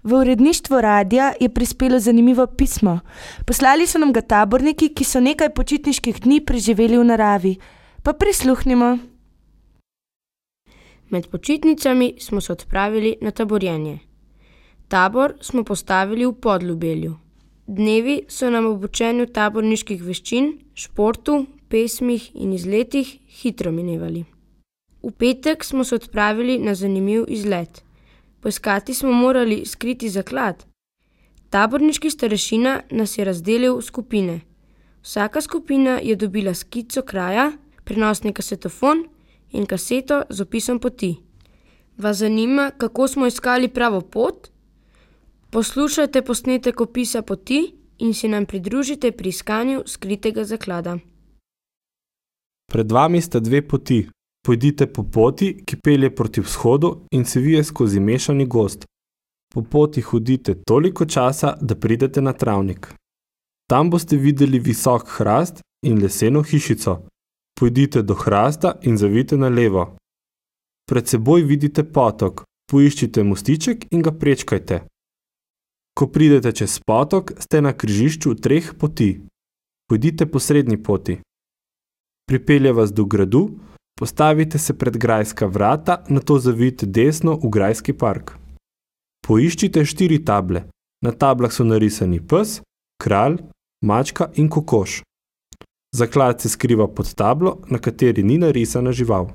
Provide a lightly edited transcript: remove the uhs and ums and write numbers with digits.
V uredništvo radia je prispelo zanimivo pismo. Poslali so nam ga taborniki, ki so nekaj počitniških dni preživeli v naravi. Pa prisluhnimo. Med počitnicami smo se odpravili na taborjenje. Tabor smo postavili v Podljubelju. Dnevi so nam ob učenju taborniških veščin, športu, pesmih in izletih hitro minevali. V petek smo se odpravili na zanimiv izlet. Poiskati smo morali skriti zaklad. Taborniški starešina nas je razdelil v skupine. Vsaka skupina je dobila skico kraja, prenosni kasetofon in kaseto z opisom poti. Vas zanima, kako smo iskali pravo pot? Poslušajte posnetek opisa poti in se nam pridružite pri iskanju skritega zaklada. Pred vami sta dve poti. Pojdite po poti, ki pelje proti vzhodu in se vije skozi mešani gozd. Po poti hodite toliko časa, da pridete na travnik. Tam boste videli visok hrast in leseno hišico. Pojdite do hrasta in zavijte na levo. Pred seboj vidite potok. Poiščite mostiček in ga prečkajte. Ko pridete čez potok, ste na križišču treh poti. Pojdite po srednji poti. Pripelje vas do gradu, postavite se pred grajska vrata, nato zavijte desno v grajski park. Poiščite 4 table. Na tablah so narisani pes, kralj, mačka in kokoš. Zaklad se skriva pod tablo, na kateri ni narisana žival.